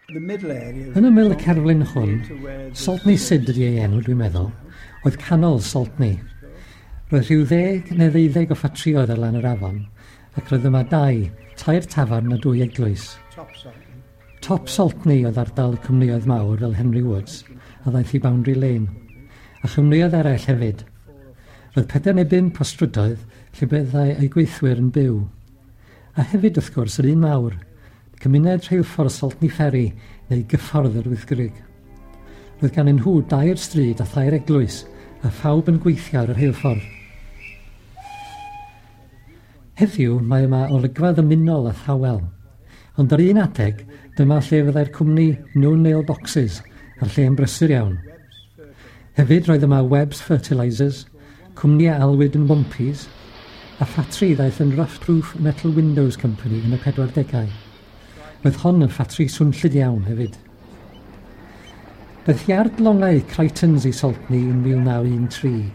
Yn ymyl y cerflun hwn, Saltney Sid ydy ei enw, dwi'n meddwl, oedd canol Saltney. Roedd rhyw 10 neu 12 o ffatrïoedd ar lan yr afon, ac roedd yma dau, tair tafarn a dwy eglwys. Top Saltney oedd ardal y cwmnïoedd mawr fel Henry Woods, a ddaeth i Boundary Lane, a chwmnïoedd eraill hefyd. Roedd 4 neu 5 o strydoedd lle byddai eu gweithwyr yn byw. A hefyd, wrth gwrs, yr un mawr, cymuned rheilffordd Saltney Ferry neu gyffordd yr Wyddgrug. Roedd gan nhw dair stryd a thair eglwys, a phawb yn gweithio ar y rheilffordd. Heddiw mae yma olygfa ddymunol a thawel, ond ar un adeg dyma lle fyddai'r cwmni No Nail Boxes a'r lle yn brysur iawn. Hefyd roedd yma Webb's Fertilisers, cwmni a alwyd yn Wompies, a ffatri ddaeth yn Rough Proof Metal Windows Company yn y 40au. Roedd hon yn ffatri swnllyd iawn hefyd. Daeth iard longau Crichtons i Saltney yn 1913.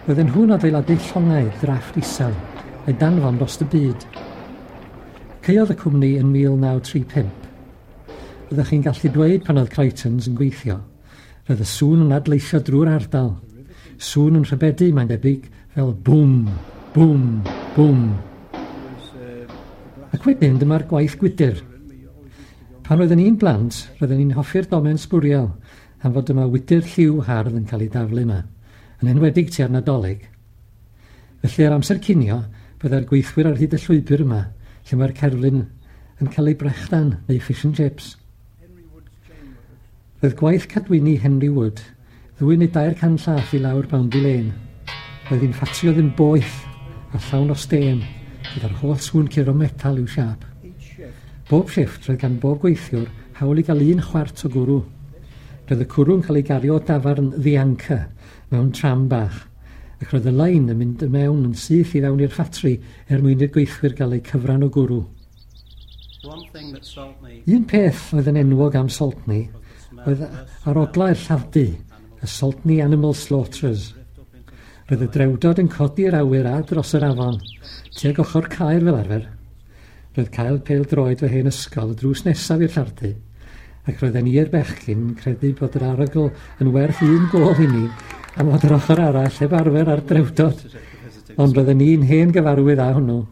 Roedden nhw'n adeiladu llongau drafft isel a'i danfon dros y byd. Caeodd y cwmni yn 1935. Roeddech chi'n gallu dweud pan oedd Crichtons yn gweithio. Roedd y sŵn yn adleisio drwy'r ardal. Sŵn yn rhybedu, mae'n debyg, fel bwm, bwm, bwm. Ac wedyn dyma'r gwaith gwydr. Pan oedden ni'n blant, roedden ni'n hoffi'r domen sbwriel am fod yma wydr lliw hardd yn cael ei daflu yma, yn enwedig tua'r Nadolig. Felly ar amser cinio, byddai'r gweithwyr ar hyd y llwybr yma, lle mae'r cerflun yn cael ei brechdan neu fish and chips. Roedd gwaith cadwyni Henry Wood 2 neu 300 llath i lawr Boundary Lane. Roedd hi'n ffatri oedd yn boeth a llawn o stêm, gyda'r holl sŵn curo metal i'w siâp. Bob shifft roedd gan bob gweithiwr hawl i gael un chwart o gwrw. Roedd y cwrw'n cael ei gario o dafarn The Anchor mewn tram bach, ac roedd y lein yn mynd mewn yn syth i fewn i'r ffatri er mwyn i'r gweithwyr gael eu cyfran o gwrw. Un peth oedd yn enwog am Saltney oedd aroglau'r lladd-dy, y Saltney Animal Slaughterers. Roedd y drewdod yn codi'r awyr a dros yr afon, tuag ochr Caer fel arfer. Roedd cael pêl droed fy hen ysgol y drws nesaf i'r lladd-dy, ac roedden ni i'r bechgyn yn credu bod yr arogl yn werth un gôl i ni am fod yr ochr arall heb arfer ar drewdod. Ond roedden ni'n hen gyfarwydd â hwnnw.